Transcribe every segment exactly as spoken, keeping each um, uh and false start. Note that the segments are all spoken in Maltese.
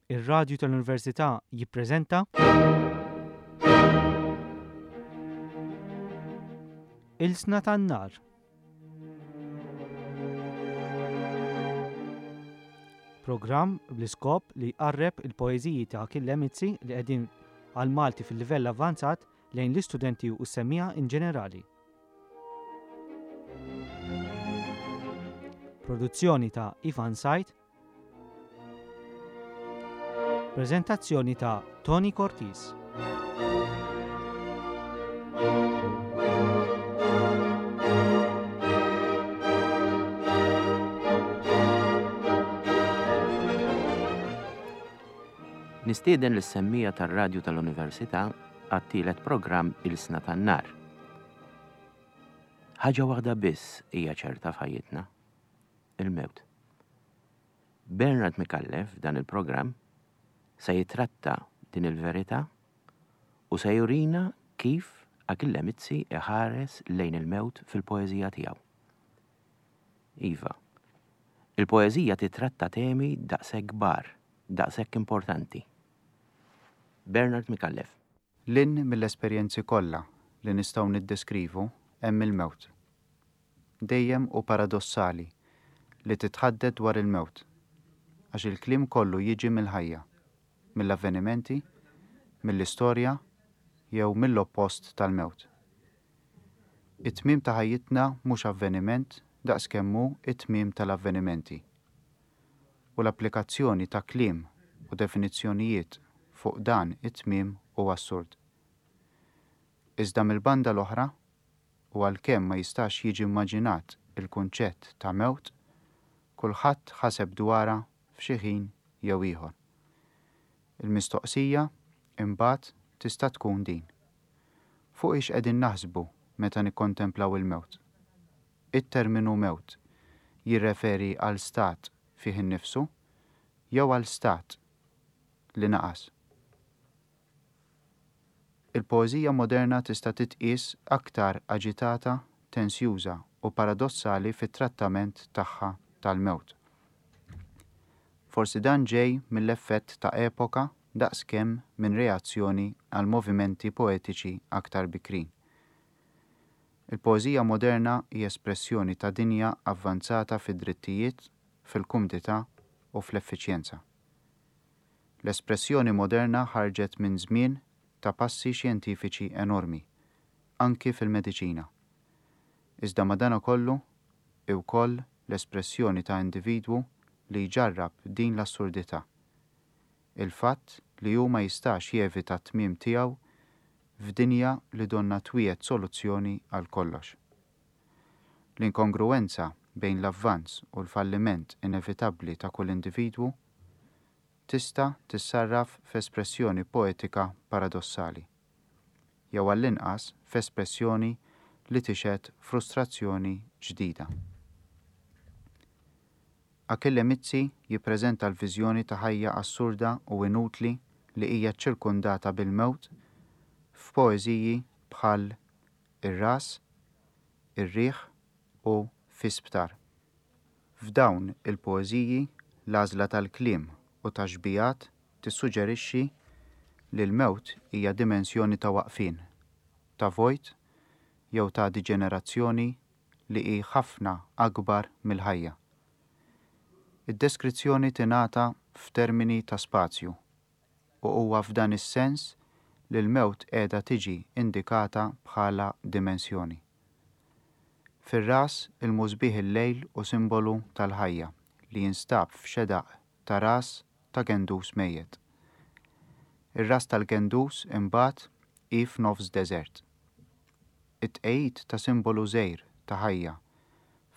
Ir-Radju tal-Università jippreżenta Ilsna tan-Nar. Programm bl-iskop li jqarreb il-poeżiji ta' Achille Mizzi li qegħdin għal Malti fil-livell avvanzat lejn l-istudenti u s-semmiegħa in ġenerali. Produzzjoni ta' Ivan Said. Prezentazzjoni ta' Tony Cortis. Nistieden lis-semmija tar-radju tal-Università għat-tielet programm Ilsna tan-Nar. Ħaġa waħda biss hija ċerta f'ħajjitna, il-mewt. Bernard Micallef f'dan il-programm se jitratta din il-verità u se jurina kif Achille Mizzi iħares lejn il-mewt fil-poeżija tiegħu. Iva, il-poeżija titratta temi daqshekk kbar, daqshekk importanti. Bernard Micallef. Lin mill-esperjenzi kollha li nistgħu niddeskrivu hemm il-mewt. Dejjem u paradossali li titħaddet dwar il-mewt, għax il-kliem kollu jiġi mill-ħajja, mill-avvenimenti, mill-istorja jew mill-oppost tal-mewt. It-tmiem ta' ħajjitna mhux avveniment daqskemm hu it-tmiem tal-avvenimenti. U l-applikazzjoni ta' kliem u definizzjonijiet fuq dan it-tmiem hu assurd. Iżda mill-banda l-oħra, u għalkemm ma jistax jiġi immaġinat il-kunċett ta' mewt, kulħadd ħaseb dwarha f'xi ħin jew ieħor. Il-mistoqsija imbagħad tista' tkun din. Fuq ix qegħdin naħsbu meta nikkontemplaw il-mewt? It-terminu mewt jirreferi għal stat fih innifsu jew għal stat li naqas. Il-poeżija moderna tista' titqies aktar aġitata, tensjuża u paradossali fit-trattament tagħha tal-mewt. Forsi dan ġej mill-effett ta' epoka daqskemm minn reazzjoni għal movimenti poetiċi aktar bikrin. Il-poeżija moderna hija espressjoni ta' dinja avvanzata fid-drittijiet, fil-kumdità u fl-effiċjenza. L-espressjoni moderna ħarġet minn żmien ta' passi xjentifiċi enormi, anki fil-mediċina. Iżda madanakollu wkoll l-espressjoni ta' individwu li jġarrab din l-assurdità. Il-fatt li hu ma jistax jevita t-tmiem tiegħu f'dinja li donna twiegħed soluzzjoni għal kollox. L-inkongruenza bejn l-avvanz u l-falliment inevitabbli ta' kull individwu tista' tissarraf f'espressjoni poetika paradossali, jew għall-inqas f'espressjoni li tixhed frustrazzjoni ġdida. Achille Mizzi jippreżenta l-viżjoni ta' ħajja assurda u inutli li hija ċirkundata bil-mewt f'poeżiji bħal Ir-ras, Ir-riħ u Fi sptar. F'dawn il-poeżiji l-għażla tal-kliem u taxbijat tissuġġerixxi li l-mewt hija dimensjoni ta' waqfien, ta' vojt jew ta' diġenerazzjoni li hi ħafna akbar mill-ħajja. Id-deskrizzjoni tingħata f'termini ta' spazju u huwa f'dan is-sens li l-mewt qiegħda tiġi indikata bħala dimensjoni. Fir-ras il-musbieħ il-lejl u simbolu tal-ħajja li jinstab f'xedaq ta' ras ta' gendus mejjet. Ir-ras tal-gendus imbagħad hi f'nofs deżert. It-tqegħid ta' simbolu żgħir ta' ħajja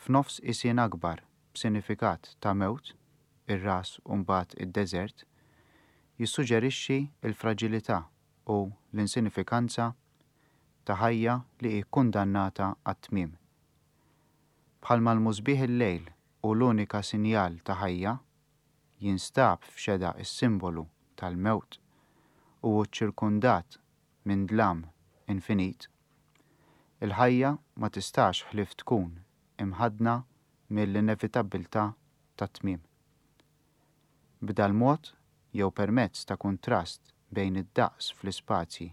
f'nofs isien akbar b'sinifikat ta' mewt, ir-ras u mbagħad id-deżert, jissuġġerixxi l-fraġilità u l-insinifikanza ta' ħajja li hi kkundannata għat-tmiem. Bħalma l-musbieħ il-lejl u l-unika sinjal ta' ħajja, jinstab f'xeda is-simbolu tal-mewt u hu ċirkundat minn dlam infinit, il-ħajja ma tistax ħlief tkun imħaddna mill-inevitabbiltà tat-tmiem. B'dal-mod jew permezz ta' kuntrast bejn id-daqs fl-ispazji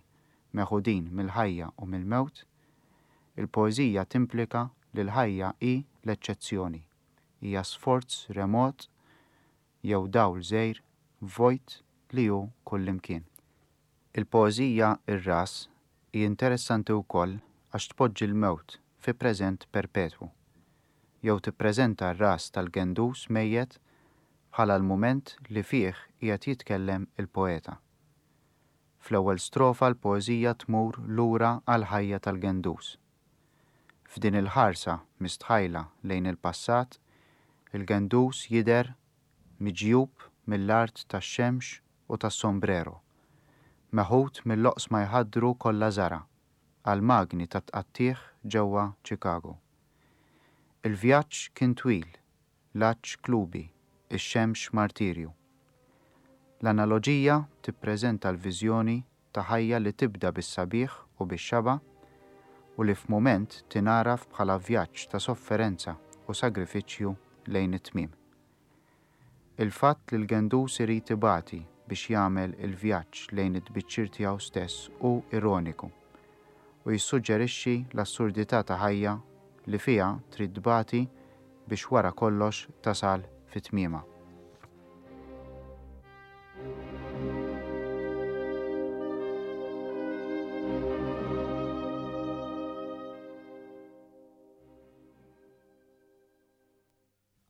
meħudin mill-ħajja u mill-mewt, il-poeżija timplika li l-ħajja hi l-eċċezzjoni, hija sforz remot jew dawl żgħir vojt li hu kullimkien. Il-poeżija Ir-Ras hi interessanti wkoll għax tpoġġi l-mewt fi preżent perpetwu, jew tippreżenta r-ras tal-gendus mejjet bħala l-mument li fih qiegħed jitkellem il-poeta. Fl-ewwel strofa l-poeżija tmur lura għall-ħajja tal-gendus. F'din il-ħarsa mistħajla lejn il-passat, il-gendus jidher miġjub mill-art tax-xemx u tas-sombrero, meħud mill-oqsma jħaddru kollha żara' għal magni ta' tqattigħ ġewwa Chicago. Il-vjaġġ kien twil, l-għatx klubi, ix-xemx martirju. L-analoġija tippreżenta l-viżjoni ta' ħajja li tibda bis-sabiħ u bix-xaba' u li f'mument tingħaraf bħala vjaġġ ta' sofferenza u sagrifiċċju lejn it-tmiem. Il-fatt li l-gendus irid ibati biex jagħmel il-vjaġġ lejn it-tbiċċir tiegħu stess hu ironiku u jissuġġerixxi l-assurdità ta' ħajja li fiha trid tbati biex wara kollox tasal fi tmiemha.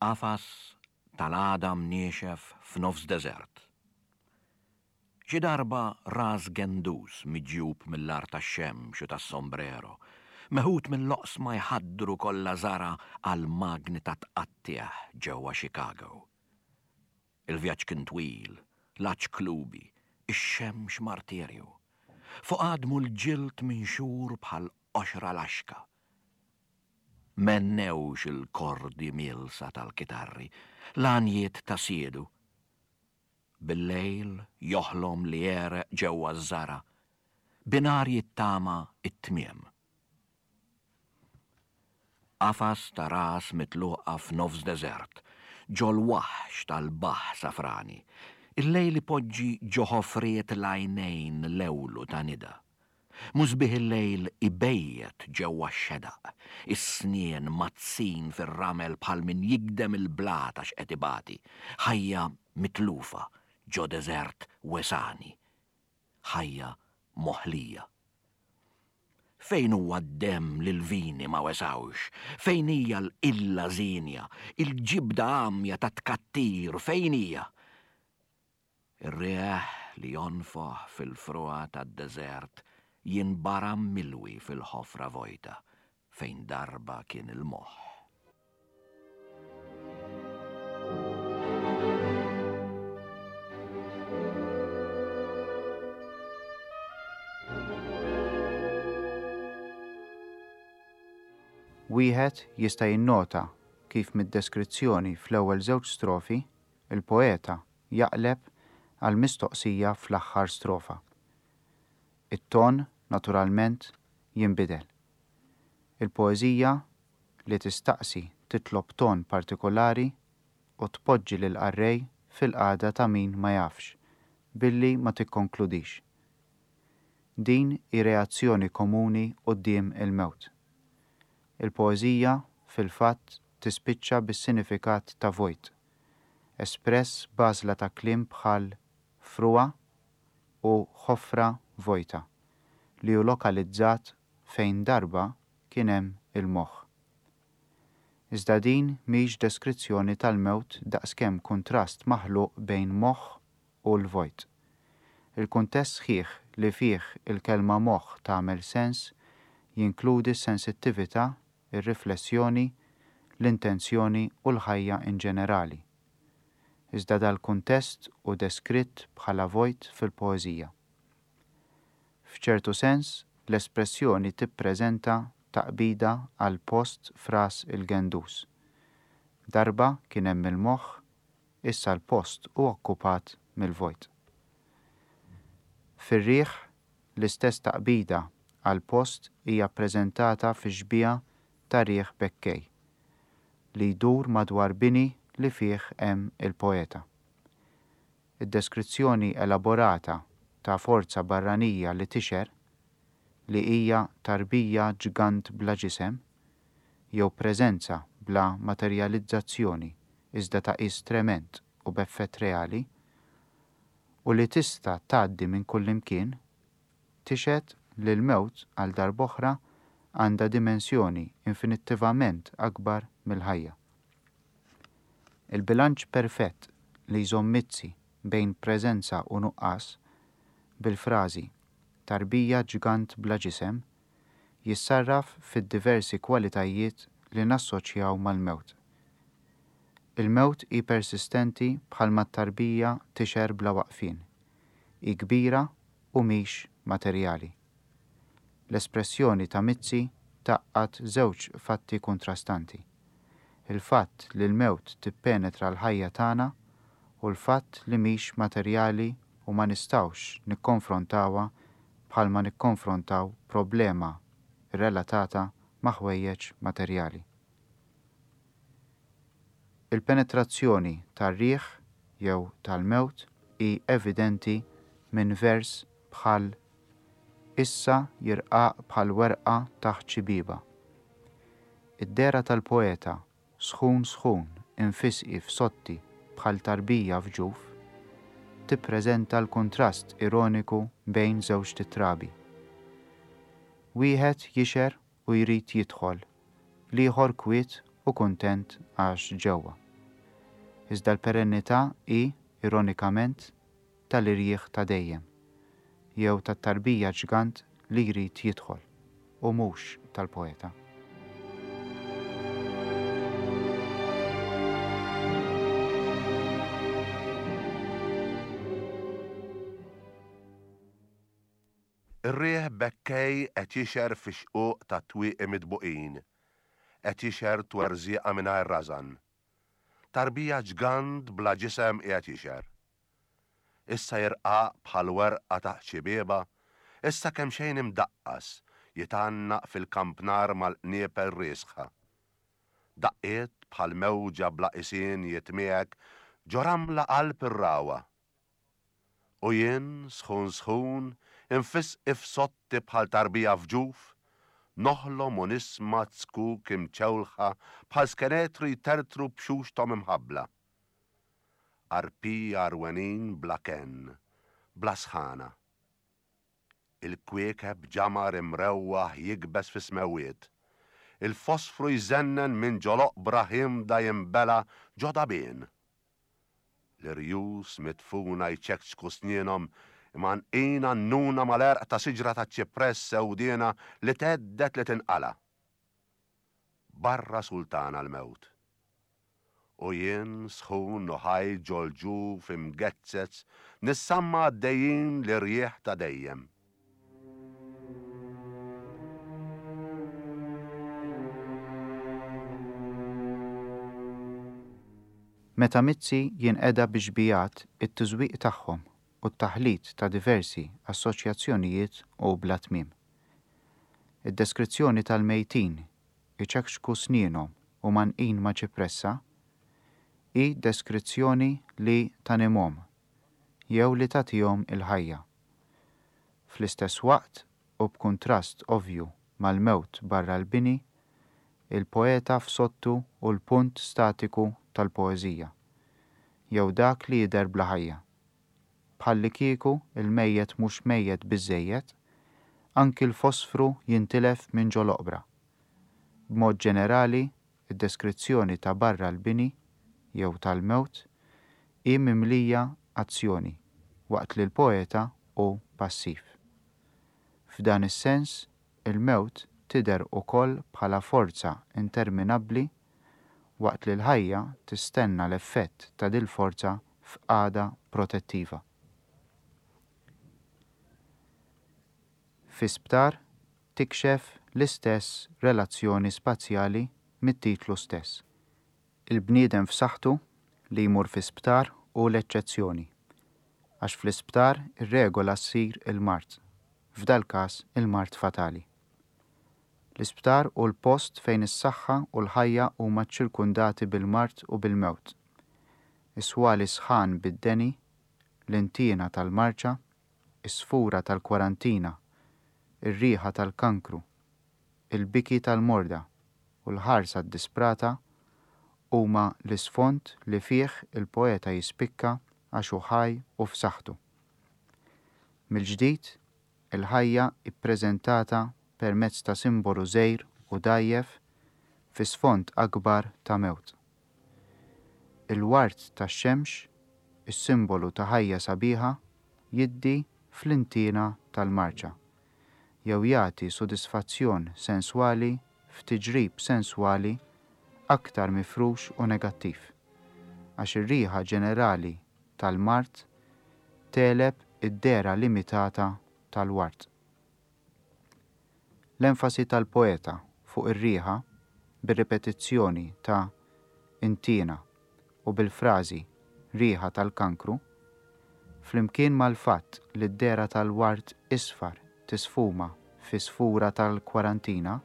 Qafas tal-għadam niexef f'nofs deżert. Xi darba ras gendus miġjub mill-art tax-xemx u tas-sombrero, meħud mill-oqsma jħaddru kollha żara għal magni ta' tqattigħ ġewwa Chicago. Il-vjaġġ kien twil, l-għatx klubi, ix-xemx martirju. Fuq għadmu l-ġild minxur bħal qoxra laxka. Mennewx il-kordi mielsa tal-kitarri, l-għanjiet ta' siedu. Bil-lejl joħlom li jereq ġewwa ż-żara, binar jittama it-tmiem. Qafas ta' ras mitluqa f'nofs deżert, ġol-waħx tal-baħ safrani, il-lejl ipoġġi ġo ħofriet l-għajnejn l-ewlu ta' nida. Musbieħ il-lejl ibejjet ġewwa x-xedaq, is-snien mazzin fir-ramel bħal min jigdem il-blat għax qed ibati, ħajja mitlufa ġo deżert wesani, ħajja moħlija. Fejn huwa d-demm li l-vini ma wesawx? Fejn hija l-qilla żienja, il-ġibda għamja ta' tkattir, fejn hija? Ir-riħ li jonfoħ fil-frugħa tad-deżert jinbaram milwi fil-ħofra vojta fejn darba kien il-moħħ. Wieħed jista' jinnota kif mid-deskrizzjoni fl-ewwel żewġ strofi il-poeta jaqleb għal mistoqsija fl-aħħar strofa. It-ton naturalment jinbidel. Il-poeżija li tistaqsi titlob ton partikolari u tpoġġi lil qarrej fil-qagħda ta' min ma jafx, billi ma tikkonkludix. Din hi reazzjoni komuni quddiem il-mewt. Il-poeżija fil-fatt tispiċċa bis-sinifikat ta' vojt, espress b'għażla ta' kliem bħal frugħa u ħofra vojta, li hu lokalizzat fejn darba kien hemm il-moħħ. Iżda din mhix deskrizzjoni tal-mewt daqskemm kuntrast maħluq bejn moħħ u l-vojt. Il-kuntest sħiħ li fih il-kelma moħħ tagħmel sens jinkludi s-sensittività, ir-riflessjoni, l-intenzjoni u l-ħajja in ġenerali. Iżda dal-kuntest hu deskritt bħala vojt fil-poeżija. F'ċertu sens, l-espressjoni tippreżenta taqbida għal post f'ras il-gendus. Darba kien hemm il-moħħ, issa l-post hu okkupat mill-vojt. Fir-riħ, l-istess taqbida għal post hija ppreżentata fi xbieha ta' riħ bekkej, li jdur madwar bini li fih hemm il-poeta. Id-deskrizzjoni elaborata ta' forza barranija li tixher, li hija tarbija ġgant bla ġisem, jew preżenza bla materjalizzazzjoni iżda ta' qies tremend u b'effett reali, u li tista' tgħaddi minn kullimkien, tixhed li l-mewt għal darb'oħra għandha dimensjoni infinittivament akbar mill-ħajja. Il-bilanċ perfett li jżomm Mizzi bejn preżenza u nuqqas bil-frażi tarbija ġgant bla ġisem jissarraf fid-diversi kwalitajiet li nassoċjaw mal-mewt. Il-mewt hi persistenti bħalma t-tarbija tixher bla waqfien. Hi kbira u mhix materjali. L-espressjoni ta' Mizzi tgħaqqad żewġ fatti kontrastanti. Il-fatt li l-mewt tippenetra l-ħajja tagħna u l-fatt li mhix materjali u ma nistgħux nikkonfrontawha bħalma nikkonfrontaw problema relatata ma' ħwejjeġ materjali. Il-penetrazzjoni tar-riħ jew tal-mewt hi evidenti minn vers bħal issa jirqaq bħal werqa taħt xi bieba. Id-dehra tal-poeta sħun sħun infisqi f'sotti bħal tarbija f'ġuf tippreżenta l-kuntrast ironiku bejn żewġ titrabi. Wieħed jixher u jrid jidħol, l-ieħor kwiet u kuntent għax ġewwa. Iżda l-perennità hi, ironikament, tal-irjieħ ta' dejjem, jew tat-tarbija ġgant li jrid jidħol, u mhux tal-poeta. Ir-riħ bekkej qed jixher fix-xquq tat-twieqi mitbuqin, qed jixher twerżieqa mingħajr rażan. Tarbija ġgant bla ġisem qiegħed jixher. Issa jirqaq bħal werqa taħt xi bieba, issa kemm xejn imdaqqas jitgħannaq fil-kampnar mal-qniepel riesħa. Daqqiet bħal mewġa bla qisien jitmiegħek ġo ramla qalb ir-rawa. U jien sħun sħun infisqi f'sotti bħal tarbija f'ġuf, noħlom u nisma' zkuk imċewlħa bħal skenetri jtertru b'xuxthom imħabbla. Arpija arwenin bla kenn, bla sħana. Il-kwiekeb ġamar imrewwaħ jikbes fi smewwiet. Il-fosfru jżennen minn ġol-oqbra ħimda jinbela ġo dabien. L-irjus mitfuna jċekċku snienhom imgħannqin għannuna mal-għerq ta' siġra ta' ċipress sewdiena li tgħeddet li tinqala'. Barra sultana l-mewt. U jien sħun u ħaj ġol-ġuf imgezzez nissamma għaddejjin l-irjieħ ta' dejjem. Meta Mizzi jinqeda bi xbijat it-tiżwiq tagħhom u t-taħlit ta' diversi assoċjazzjonijiet u bla tmiem. Id-deskrizzjoni tal-mejtin iċekxku snienhom u mgħannqin ma' ċipressa hi deskrizzjoni li tanimhom jew li tagħtihom il-ħajja. Fl-istess waqt u b'kuntrast ovvju mal-mewt barra l-bini, il-poeta f'sottu u l-punt statiku tal-poeżija, jew dak li jidher bla ħajja. Bħallikieku il-mejjet mhux mejjet biżżejjed, anki l-fosfru jintilef minn ġol-oqbra. B'mod ġenerali, id-deskrizzjoni ta' barra l-bini jew tal-mewt hi mimlija azzjoni waqt li l-poeta hu passiv. F'dan is-sens, il-mewt tidher ukoll bħala forza interminabbli waqt li l-ħajja tistenna l-effett ta' dil-forza f'qagħda protettiva. Fi sptar tikxef l-istess relazzjoni spazjali mit-titlu stess. Il-bniedem f'saħħtu li jmur fi sptar hu l-eċċezzjoni, għax fl-isptar ir-regola ssir il-mard, f'dal-każ il-mard fatali. L-isptar hu l-post fejn is-saħħa u l-ħajja huma ċċirkundati bil-mard u bil-mewt. Is-swali sħan bid-deni, l-intiena tal-marċa, is-sfura tal-kwarantina, ir-riħa tal-kankru, il-biki tal-morda u l-ħarsa ddisprata huma l-isfond li fih il-poeta jispikka għax hu ħaj u f'saħħtu. Mill-ġdid, il-ħajja ippreżentata permezz ta' simbolu żgħir u dgħajjef fi sfond akbar ta' mewt. Il-ward tax-xemx, is-simbolu ta' ħajja sabiħa, jiddi fl-intiena tal-marċa, jew jagħti sodisfazzjon senswali f'tiġrib senswali aktar mifrux u negattiv, għax ir-riħa ġenerali tal-mard tegħleb id-dehra limitata tal-ward. L-enfasi tal-poeta fuq ir-riħa bir-ripetizzjoni ta' intiena u bil-frażi riħa tal-kankru, flimkien mal-fatt li d-dehra tal-ward isfar tisfuma fi sfura tal-kwarantina,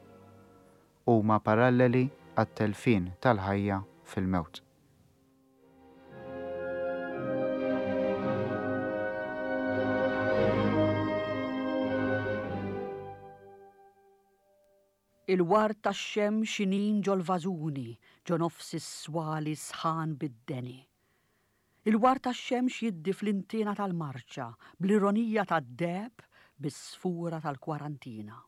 huma paralleli għat-telfien tal-ħajja fil-mewt. Il-ward tax-xemx inin ġol-vażuni, ġo nofs is-swali sħan bid-deni. Il-ward tax-xemx jiddi fl-intiena tal-marċa, bl-ironija tad-deheb, bis-sfura tal-kwarantina.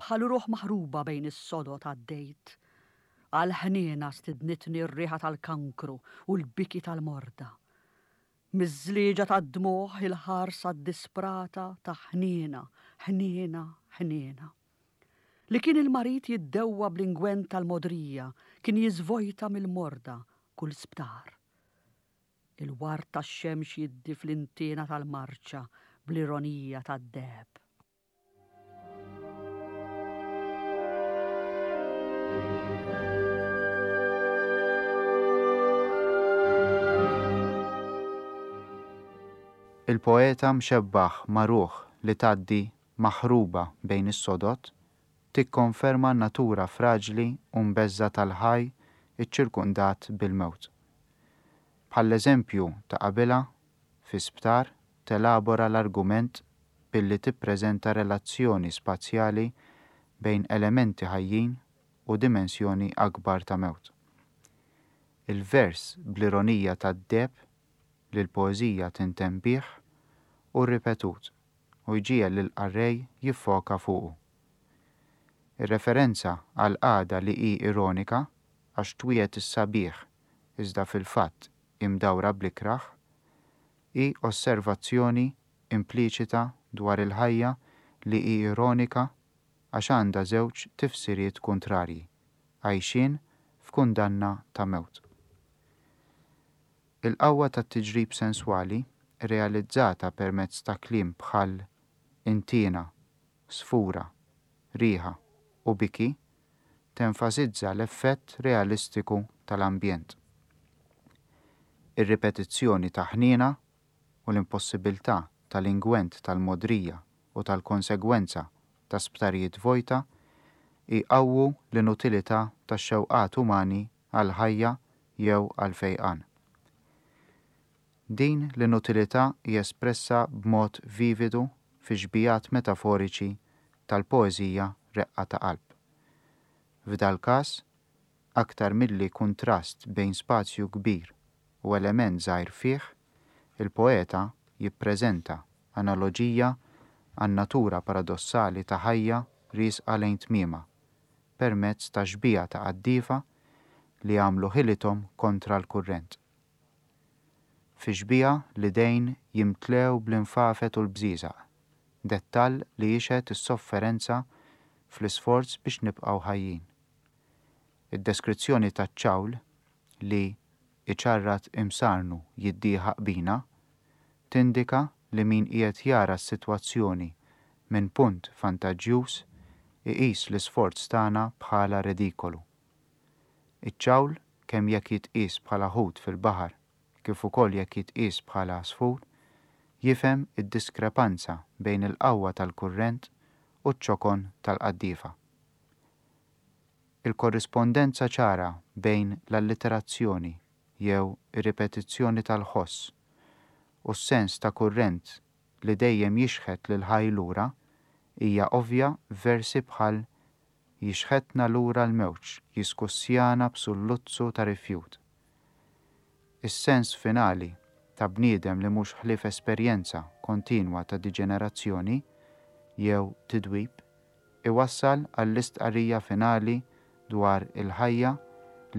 Bħal ruħ maħruba bejn is-sodod għaddejt, għal ħniena stidnitni r-riħa tal-kankru u l-biki tal-morda. Miż-żlieġa tad-dmugħ il-ħarsa ddisprata ta' ħniena, ħniena, ħniena. Li kien il-marid jiddewwa bl-ingwent tal-modrija, kien jiżvojta mill-morda kull sptar. Il-ward tax-xemx jiddi fl-intiena tal-marċa bl-ironija tad-deheb. Il-poeta mxebbaħ ma' ruħ li tgħaddi maħruba bejn is-sodod tikkonferma n-natura fraġli u mbeżża' tal-ħaj iċċirkundat bil-mewt. Bħall-eżempju ta' qabilha, fi sptar telabora l-argument billi tippreżenta relazzjoni spazjali bejn elementi ħajjin u dimensjoni akbar ta' mewt. Il-vers bl-ironija tad-deheb li l-poeżija tintemm bih hu ripetut u jġiegħel lill-qarrej jiffoka fuqu. Ir-referenza għal qagħda li hi ironika għax twiegħed is-sabiħ iżda fil-fatt imdawra bl-ikrah hi osservazzjoni impliċita dwar il-ħajja li hi ironika għax għandha żewġ tifsiriet kontrarji, għajxien f'kundanna ta' mewt. Il-qawwa tat-tiġrib senswali realizzata permezz ta' kliem bħal intiena, sfura, riħa u biki tenfasizza l-effett realistiku tal-ambjent. Ir-ripetizzjoni ta' ħniena u l-impossibilità tal-ingwent tal-modrija u tal-konsegwenza ta' sptarijiet vojta jqawwu l-inutilità tax-xewqat umani għal-ħajja jew għal-fejqan. Din l-inutilità hija espressa b'mod vividu fi xbijat metaforiċi tal-poeżija Reqqa ta' Qalb. F'dal każ, aktar milli kuntrast bejn spazju kbir u element żgħir fih, il-poeta jippreżenta analoġija għan-natura paradossali ta' ħajja riesqa lejn tmiemha permezz ta' xbieha ta' qaddiefa li għamlu ħilithom kontra l-kurrent. Fi xbieha l-idejn jimtlew bl-infafet u l-bżieżaq, dettall li jixhed is-sofferenza fl-isforz biex nibqgħu ħajjin. Id-deskrizzjoni taċ-ċawl li iċarrat imsarnu jiddieħaq bina tindika li min qiegħed jara s-sitwazzjoni minn punt vantaġġjuż iqis l-isforz tagħna bħala redikolu. Iċ-ċawl kemm jekk jitqies bħala ħut fil-baħar kif ukoll jekk jitqies bħala għasfur, jifhem id-diskrepanza bejn il-qawwa tal-kurrent u ċ-ċokon tal-qaddiefa. Il-korrispondenza ċara bejn l-alliterazzjoni jew ir-ripetizzjoni tal-ħoss u s-sens ta' kurrent li dejjem jixħet lil ħaj lura hija ovvja f'versi bħal jixħetna lura l-mewġ, jiskussjana b'sulluzzu ta' rifjut. Is-sens finali ta' bniedem li mhux ħlief esperjenza kontinwa ta' diġenerazzjoni jew tidwib iwassal għall-istqarrija finali dwar il-ħajja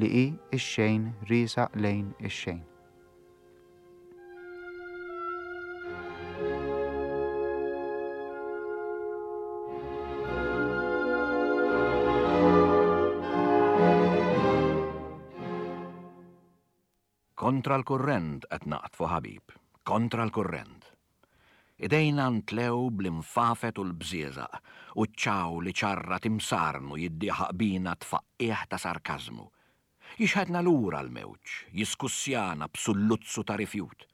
li hi x-xejn riesaq lejn ix-xejn. Kontra l-kurrent qed naqtfu ħabib, kontra l-kurrent. Idejna ntlew bl-infafet u l-bżieżaq u ċ-ċaw li ċarra timsarnu jiddieħaq bina tfaqqih ta' sarkażmu. Jixħetna lura l-mewġ, jiskussjana b'sulluzzu ta' rifjut.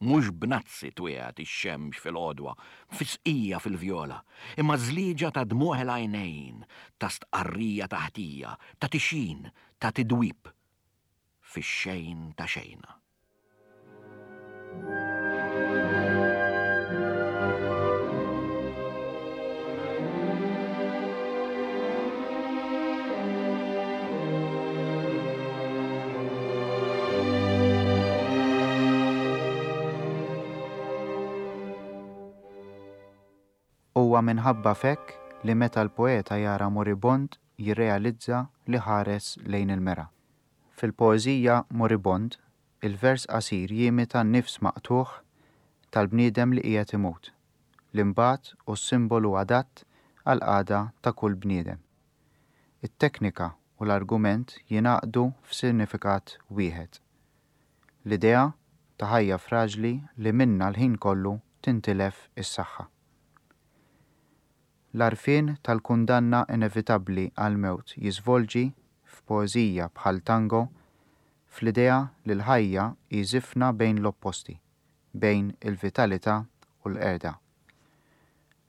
Mhux b'nazzi twiegħed ix-xemx fil-għodwa, fisqija fil-vjola, imma żlieġa ta' dmugħ il-għajnejn, ta' stqarrija ta' ħtija, ta' tixin, ta' tidwib. Fix-xejn ta' xejna. Huwa minħabba f'hekk li meta l-poeta jara moribond jirrealizza li ħares lejn il-mera. Fil-poeżija Moribond, il-vers qasir jimita n-nifs maqtugħ tal-bniedem li qiegħed imut, li mbagħad hu simbolu adatt għall-qagħda ta' kull bniedem. It-teknika u l-argument jingħaqdu f'sinifikat wieħed. L-idea ta' ħajja fraġli li minnha l-ħin kollu tintilef is-saħħa. L-għarfien tal-kundanna inevitabbli għall-mewt jiżvolġi f'poeżija bħal tango fl-idea li l-ħajja hi żifna bejn l-opposti, bejn il-vitalità u l-qerda.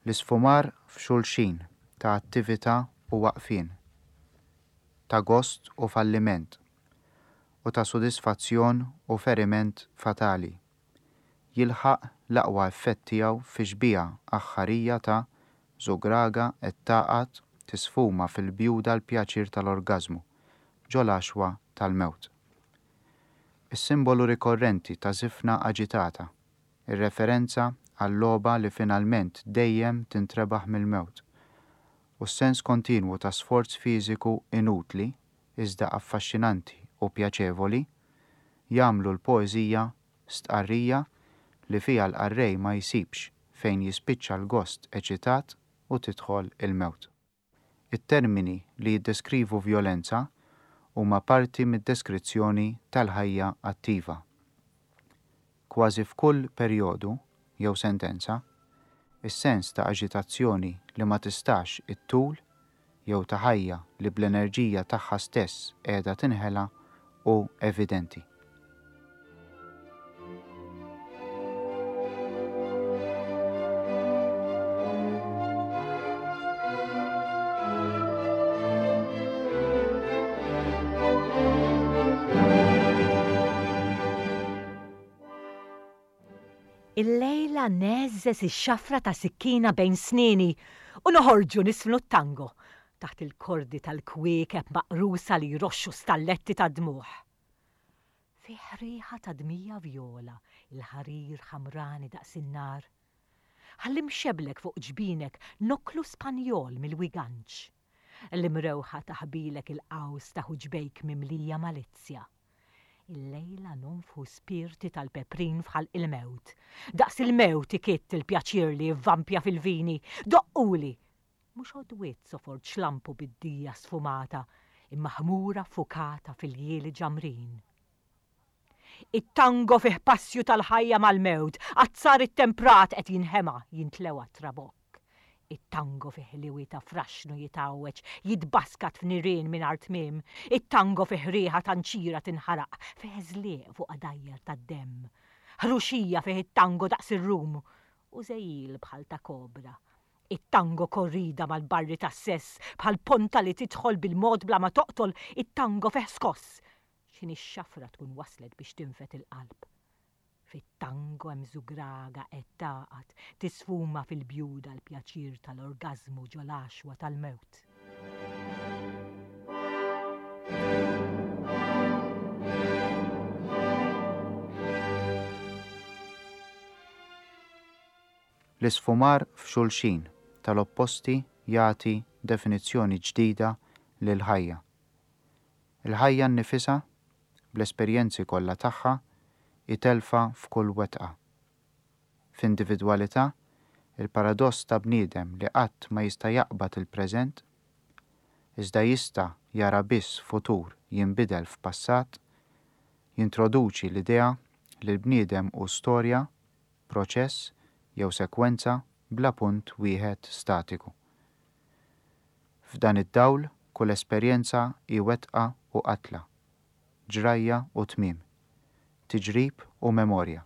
L-isfumar f'xulxin ta' attività u waqfien, ta' gost u falliment, u ta' sodisfazzjon u feriment fatali, jilħaq l-aqwa effett tiegħu fi xbieha aħħarija ta' żugraga qed tagħqad tisfuma fil-bjuda l-pjaċir tal-orgażmu ġol-għaxwa tal-mewt. Is-simbolu rikorrenti ta' żifna aġitata, ir-referenza għal-logħba li finalment dejjem tintrebaħ mill-mewt, u s-sens kontinwu ta' sforz fiżiku inutli iżda affaxxinanti u pjaċevoli jagħmlu l-poeżija stqarrija li fiha l-qarrej ma jsibx fejn jispiċċa l-gost eċitat u tidħol il-mewt. It-termini li jiddeskrivu vjolenza huma parti mid-deskrizzjoni tal-ħajja attiva. Kważi f'kull perjodu jew sentenza, is-sens ta' aġitazzjoni li ma tistax ittul jew ta' ħajja li bl-enerġija tagħha stess qiegħda tinħela hu evidenti. Illejla neżżeż ix-xafra ta' sikkina bejn snieni u noħorġu nisfnu t-tango taħt il-kordi tal-kwiekeb maqrusa li jroxxu stalletti ta' dmugħ. Fih riħa ta' dmija vjola, il-ħarir ħamrani daqs in-nar. Ħalli mxeblek fuq ġbinek noklu Spanjol mill-wiganċ. L-imrewħa taħbilek il-qaws ta' ħuġbejk mimlija malizzja. Illejla nonfħu spirti tal-peprin f'ħalq il-mewt. Daqs il-mewt ikitt il-pjaċir li jivvampja fil-vini. Doqquli! Mhux għodwiet sofor ċlampu bid-dija sfumata, imma ħmura fukata fil-jieli ġamrin. It-tango fih passju tal-ħajja mal-mewt, azzar it-temprat qed jinħema jintlewa trabokk. It-tango fih liwi ta' fraxnu jitgħawweġ, jitbaskat f'nirien mingħajr tmiem. It-tango fih riħa ta' nċira tinħaraq, fih żlieq fuq għadajjar tad-demm. Ħruxija fih it-tango daqs ir-rum u żejjil bħal ta' kobra. It-tango korrida mal-barri tas-sess bħal ponta li tidħol bil-mod bla ma toqtol, it-tango fih skoss. X'inhi x-xafra tkun waslet biex tinfed il-qalb. Fit-tango hemm żugraga qed tagħqad, tisfuma fil-bjuda l-pjaċir tal-orgażmu ġol-għaxwa tal-mewt. L-isfumar f'xulxin tal-opposti jagħti definizzjoni ġdida lill-ħajja. Il-ħajja nnifisha, bl-esperjenzi kollha tagħha, hi telfa f'kull wetqa. F'individwalità, il-paradoss ta' bniedem li qatt ma jista' jaqbad il-preżent, iżda jista' jara biss futur jinbidel f'passat, jintroduċi l-idea li l-bniedem hu storja, proċess jew sekwenza bla punt wieħed statiku. F'dan id-dawl, kull esperjenza hi wetqa u qatla, ġrajja u tmiem, tiġrib u memorja.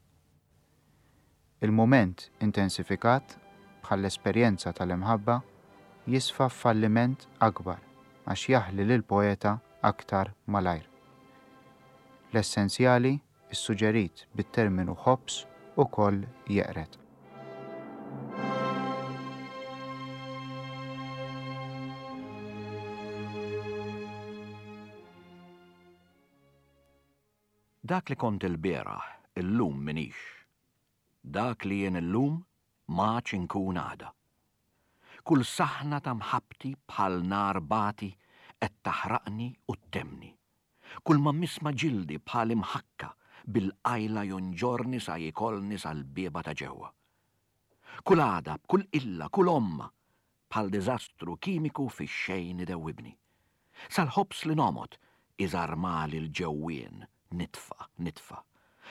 Il-mument intensifikat, bħall-esperjenza tal-imħabba, jisfa f'falliment akbar għax jaħli lill-poeta aktar malajr. L-essenzjali, issuġġerit bit-terminu ħobż, ukoll jeqred. Dak li kont ilbieraħ, illum minix. Dak li jien illum m'għadx inkun għada. Kull saħna ta' mħabbti bħal nar bati qed taħraqni u ttemni. Kull ma misma ġildi bħal imħakka bil-qajla jonġorni sa jikolni sal-bieba ta' ġewwa. Kull għada, kull illa, kull omma, bħal diżastru kimiku fix-xejn idewwibni. Sal-ħobż li nomot iżarmali l-ġewwien, nitfa, nitfa.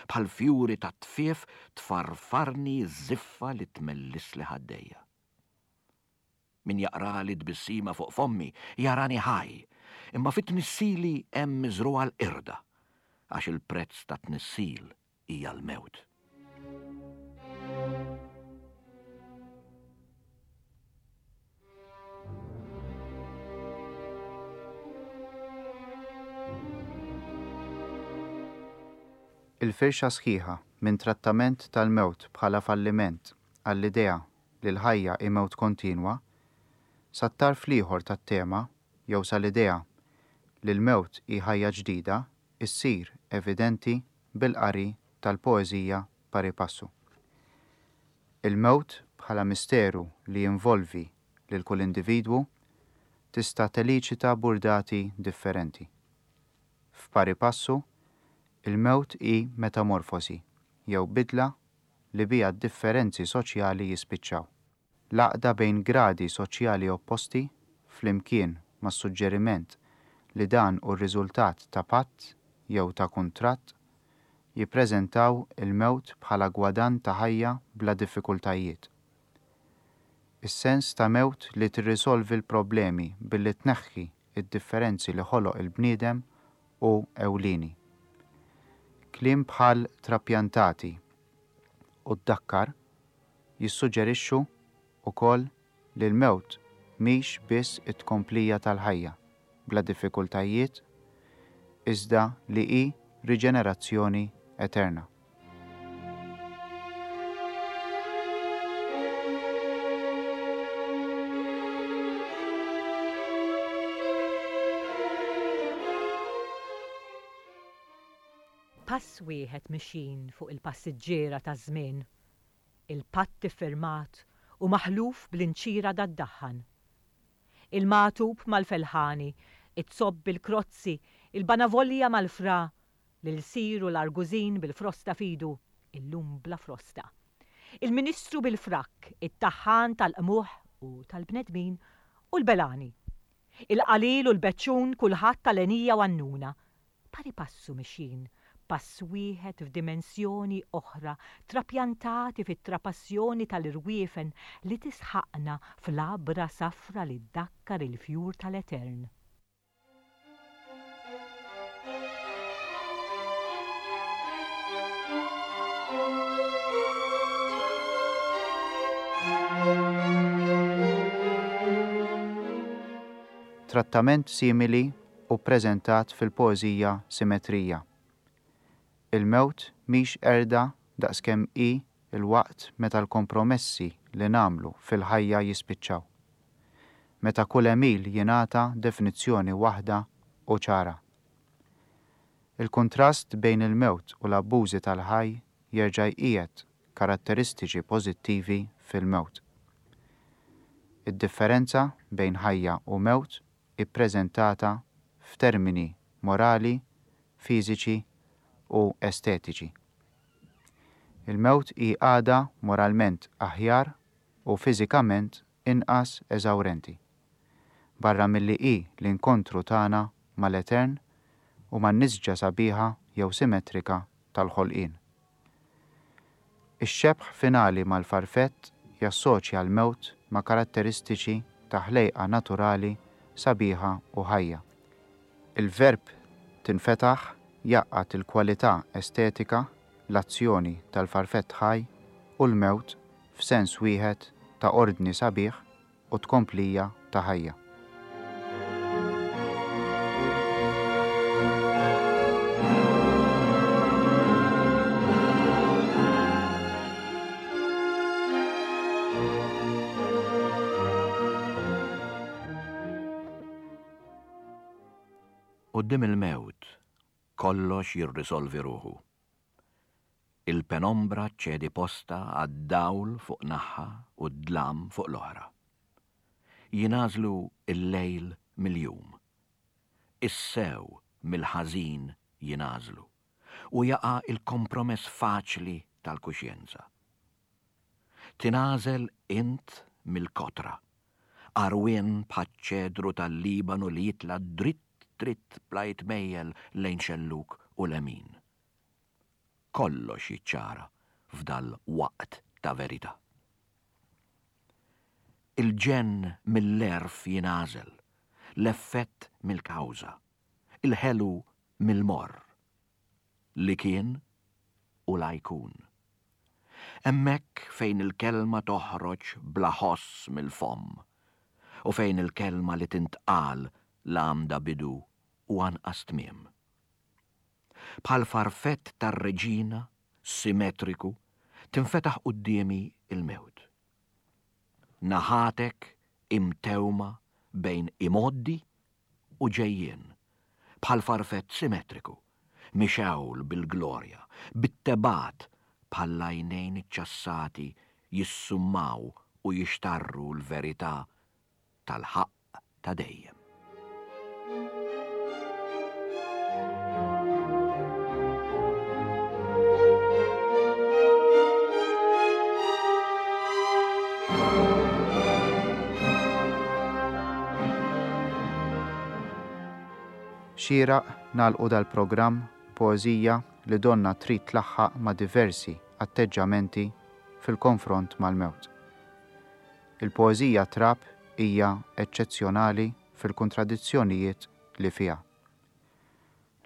Bħal fjuri ta' tfief tfarfarni ż-żiffa li tmellisli ħaddejja. Min jaqrali tbissima fuq fommi jarani ħaj, imma fit-tnissili hemm miżrugħa l-qirda, għax il-prezz ta' tnissil hija l-mewt. Il-firxa sħiħa minn trattament tal-mewt bħala falliment għall-idea li l-ħajja hi mewt kontinwa, sat-tarf l-ieħor tat-tema jew sal-idea li l-mewt hi ħajja ġdida issir evidenti bil-qari tal-poeżija Pari Passu. Il-mewt bħala misteru li jinvolvi lil kull individwu tista' teliċita burdati differenti. F'Pari Passu, il-mewt hi metamorfosi jew bidla li biha d-differenzi soċjali jispiċċaw. L-għaqda bejn gradi soċjali opposti flimkien mas-suġġeriment li dan hu r-riżultat ta' patt jew ta' kuntratt jippreżentaw il-mewt bħala gwadann ta' ħajja bla diffikultajiet. Is-sens ta' mewt li tirrisolvi l-problemi billi tneħħi id-differenzi li ħoloq il-bniedem hu ewlieni. Kliem bħal trapjantati u ddakkar jissuġġerixxu wkoll li l-mewt mhix biss it-tkomplija tal-ħajja bla diffikultajiet, iżda li hi riġenerazzjoni eterna. Pass wieħed mixin fuq il-passiġġiera taż-żmien, il-patt iffirmat u maħluf bl-inċira tad-daħħan. Il-magħtub mal-felħani, it-zobb bil-krozzi, il-banavolja mal-fra, l-ilsir u l-argużin bil-frosta fidu, illum bla frosta. Il-ministru bil-frakk, it-taħħan tal-qmuħ u tal-bnedmin u l-belani. Il-qalil u l-beċċun kulħadd tal-enija u għannuna. Pari passu mixin, pass wieħed f'dimensjoni oħra, trapjantati fit-trapassjoni tal-irwiefen li tisħaqna fl-abra safra li ddakkar il-fjur tal-etern. Trattament simili u ppreżentat fil-poeżija Simetrija. Il-mewt mhix qerda daqskemm hi l-waqt meta l-kompromessi li nagħmlu fil-ħajja jispiċċaw. Meta kull għemil jingħata definizzjoni waħda u ċara. Il-kuntrast bejn il-mewt u l-abbużi tal-ħaj jerġa' jqiegħed karatteristiċi pożittivi fil-mewt. Id-differenza bejn ħajja u mewt ippreżentata f'termini morali, fiżiċi u estetiċi. Il-mewt hi għada moralment aħjar u fiżikament inqas eżawrenti. Barra milli hi l-inkontru tagħna mal-etern u man-nisġa sabiħa jew simmetrika tal-ħolqien. Ix-xebh finali mal-farfett jassoċja l-mewt ma' karatteristiċi ta' ħlejqa naturali sabiħa u ħajja. Il-verb tinfetaħ jgħaqqad il-kwalità estetika, l-azzjoni tal-farfett ħaj u l-mewt f'sens wieħed ta' ordni sabiħ u tkomplija ta' ħajja. Quddiem il-mewt, kollox jirrisolvi ruħu. Il-penombra ċċedi posta għad-dawl fuq naħa u d-dlam fuq l-oħra. Jingħażlu il-lejl mill-jum. Is-sew mill-ħażin jingħażlu u jaqa' il-kompromess faċli tal-kuxjenza. Tingħażel int mill-kotra, għarwien bħaċ-ċedru tal-Libanu li jitla' dritt dritt bla jitmejjel lejn xellug u lemin. Kollox jiċċara f'dal waqt ta' verità. Il-ġenn mill-għerf jingħażel, l-effett mill-kawża, il-ħelu mill-morr, li kien u la jkun. Hemmhekk fejn il-kelma toħroġ bla ħoss mill-fomm u fejn il-kelma li tintqal la għamda bidu u anqas tmiem. Bħal farfett tar-reġina, simmetriku, tinfetaħ quddiemi il-mewt. Naħatek imtewma bejn imoddi u ġejjien, bħal farfett simmetriku, mixewl bil-glorja, bit-tebat bħal għajnejn iċċassati jissummaw u jixtarru l-verità tal-ħaqq ta' dejjem. Xieraq nagħlqu dal-programm poeżija li donna trid tlaħħaq ma' diversi atteġġamenti fil-konfront mal-mewt. Il-poeżija Trab hija eċċezzjonali fil-kontradizzjonijiet li fiha.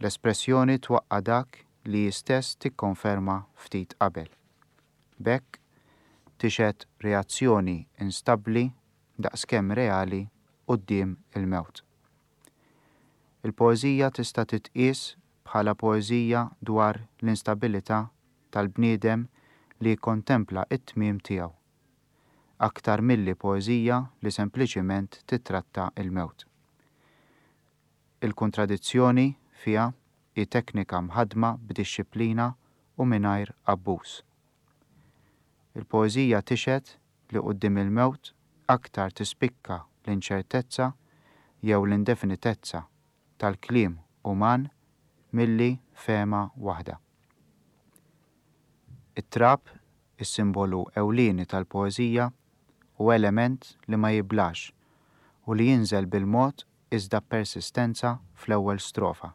L-espressjoni twaqqa' dak li hi stess tikkonferma ftit qabel. B'hekk tixhed reazzjoni instabbli daqskemm reali quddiem il-mewt. Il-poeżija tista' titqies bħala poeżija dwar l-instabilità tal-bniedem li jikkontempla t-tmiem tiegħu, aktar milli poeżija li sempliċiment titratta l-mewt. Il-kontradizzjoni fiha hi teknika mħaddma b'dixxiplina u mingħajr abbuż. Il-poeżija tixhed li quddiem il-mewt aktar tispikka l-inċertezza jew l-indefinitezza tal-kliem uman milli fehma waħda. It-trab, is-simbolu ewlieni tal-poeżija, u element li ma jiblax u li jinżel bil-mod iżda b'persistenza fl-ewwel strofa.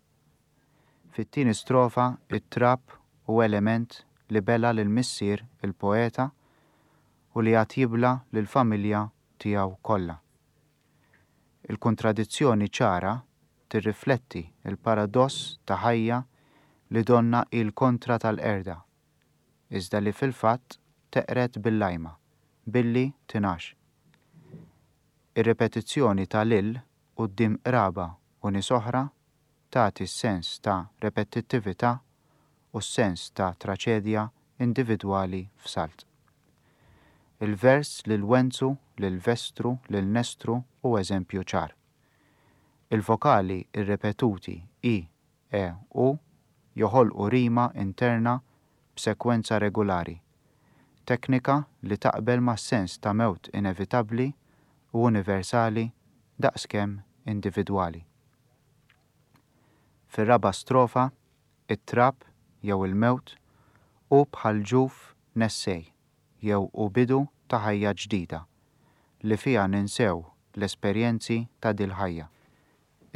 Fit-tieni strofa it-trab hu element li bela lil missier il-poeta u li għad jibla lill-familja tiegħu kollha. Il-kontradizzjoni ċara tirrifletti il-paradoss ta' ħajja li donna il-kontra tal-qerda, iżda li fil-fatt teqred bil-lajma, billi tingħax. Ir-ripetizzjoni ta' lil quddiem qraba u nies oħra tagħti s-sens ta' repetittività u s-sens ta' traċedja individwali f'salt. Il-vers lil Wenzu, lil Vestru, lil Nestru hu eżempju ċar. Il-vokali irrepetuti i, e, u joħolqu rima interna b'sekwenza regulari, teknika li taqbel mas-sens ta' mewt inevitabbli u universali daqskemm individwali. Fir-raba' strofa, it-trab jew il-mewt hu bħal ġuf nessej jew hu bidu ta' ħajja ġdida li fiha ninsew l-esperjenzi ta' dil-ħajja.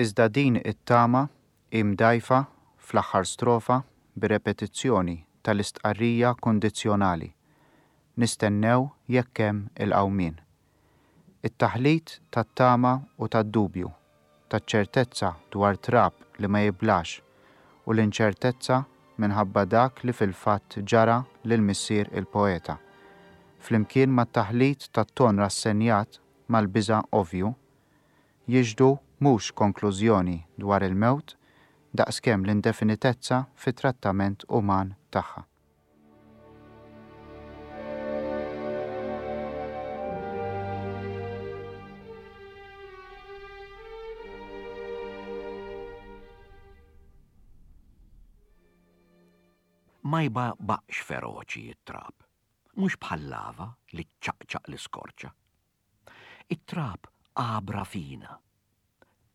Iżda din it-tama hi mdgħajfa fl-aħħar strofa bir-repetizzjoni tal-istqarrija kundizzjonali, nistennew jekk hemm il-qawmien. It-taħlit tat-tama u tad-dubju, taċ-ċertezza dwar trab li ma jiblax u l-inċertezza minħabba dak li fil-fatt ġara lil missier il-poeta, flimkien mat-taħlit tat-ton rassenjat mal-biża' ovvju, jixhdu mhux konklużjoni dwar il-mewt daqskemm l-indefinitezza fit-trattament uman tagħha. Ma jbaqbaqx feroċi it-trab, mhux bħal lava li ċċaqċaq l-iskorċa. It-trab għabra fina,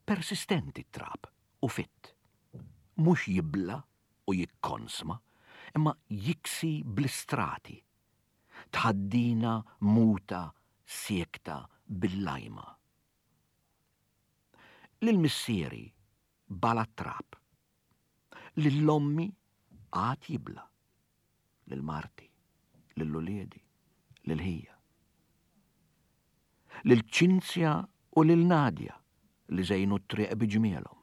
persistenti t-trab u fitt. Mhux jibla u jikkonsma, imma jiksi bl-istrati. Tħaddina muta siekta bil-lajma. Lil missieri bala t-trab, lil ommi għad jibla, lil marti, lil uliedi, lil ħija. Lil Ċinzja u lil Nadja li żejnu t-triq bi ġmielhom,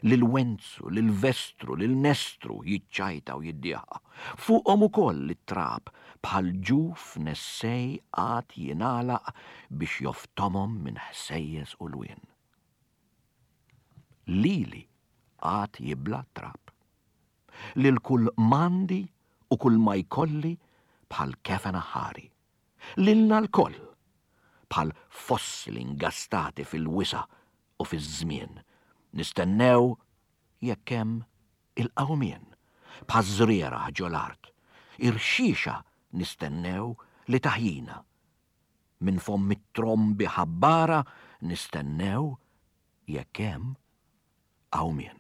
lil Wenzu, lil Vestru, lil Nestru jiċċajta u jiddieħa. Fuqhom ukoll it-trab bħal ġuf nessej għad jingħalaq biex joftomhom minn ħsejjes u lwien. Lili għad jibla t-trab. Lil kull mandi u kull ma jkolli bħal kefen aħħari. Lilna lkoll bħal fossili ingastati fil-wisa' u fiż-żmien. Nistennew jekk hemm il-qawmien bħaż-żrieragħ ġol-art. Irxixa nistennew li taħjina. Minn fomm it-trombi ħabbara nistennew jekk hemm qawmien.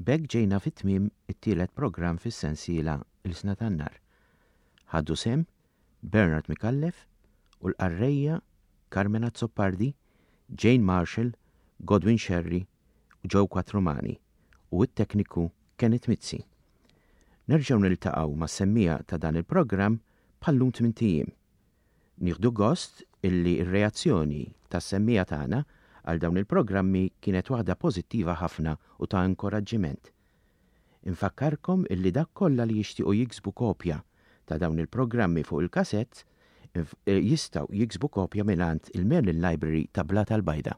B'hekk ġejna fit-tmiem it-tielet programm fis-sensiela Ilsna tan-Nar. Ħadu sehem Bernard Micallef u l-qarrejja Carmen Azzopardi, Jane Marshall, Godwin Scerri u Joe Quattromani u t-tekniku Kenneth Mizzi. Nerġgħu niltaqgħu mas-semmija ta' dan il-programm bħallum tmint ijiem. Nieħdu gost illi r-reazzjoni tas-semmija tagħna għal dawn il-programmi kienet waħda pożittiva ħafna u ta' inkoraġġiment. Infakkarkom illi dak kollha li jixtiequ jiksbu kopja ta' dawn il-programmi fuq il-kasett jistgħu jiksbu kopja mingħand il-Merlin Library ta' Blata l-Bajda.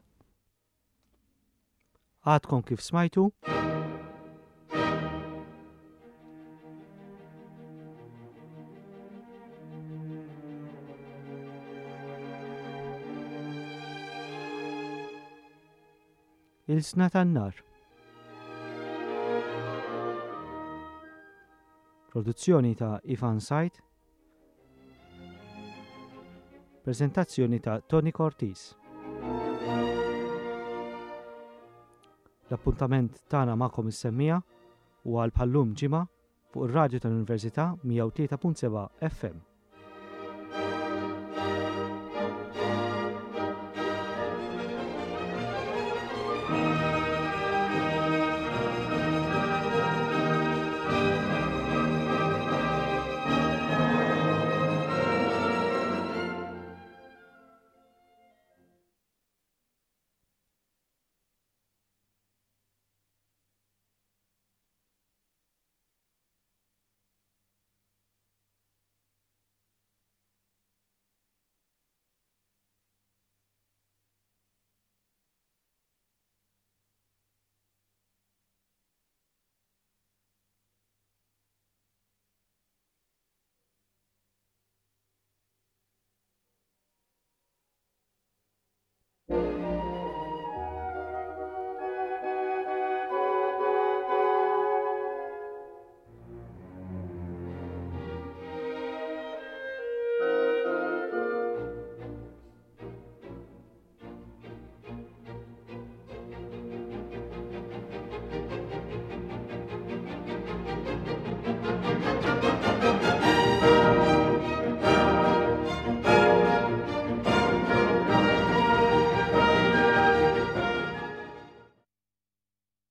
Għadkom kif smajtu? Ilsna tan-Nar. Produzzjoni ta' Ivan Said. Prezentazzjoni ta' Tony Cortis. L-appuntament tagħna magħkom is-semmija u għal bħallum ġimgħa fuq ir-radju tal-Università mija u tlieta punt seba' F M.